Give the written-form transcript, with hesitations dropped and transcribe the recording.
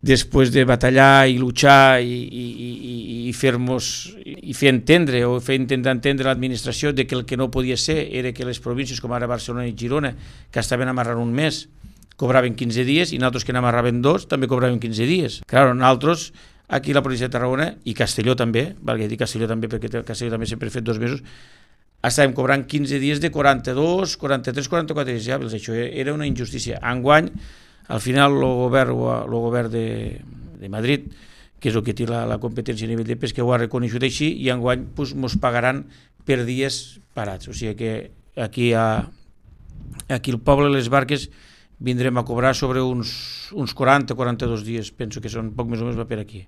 després de batallar i luchar i fer entendre o fer intentar entendre l'administració de que el que no podia ser era que les províncies com ara Barcelona i Girona, que estaven amarrant un mes, cobraven 15 dies, i nosaltres que n'amarraven 2 també cobraven 15 dies. Clar, nosaltres, aquí la província de Tarragona, i Castelló també, valgui dir Castelló també, perquè Castelló també sempre ha fet 2 mesos, estàvem cobrant 15 dies de 42, 43, 44 dies hàbils. Això era una injustícia. Enguany, al final, el govern de Madrid, que és el que té la competència a nivell de pesca, ho ha reconegut així, i enguany ens pagaran per dies parats. O sigui que aquí el poble de les barques vindrem a cobrar sobre uns 40-42 dies, penso que són poc més o menys va per aquí.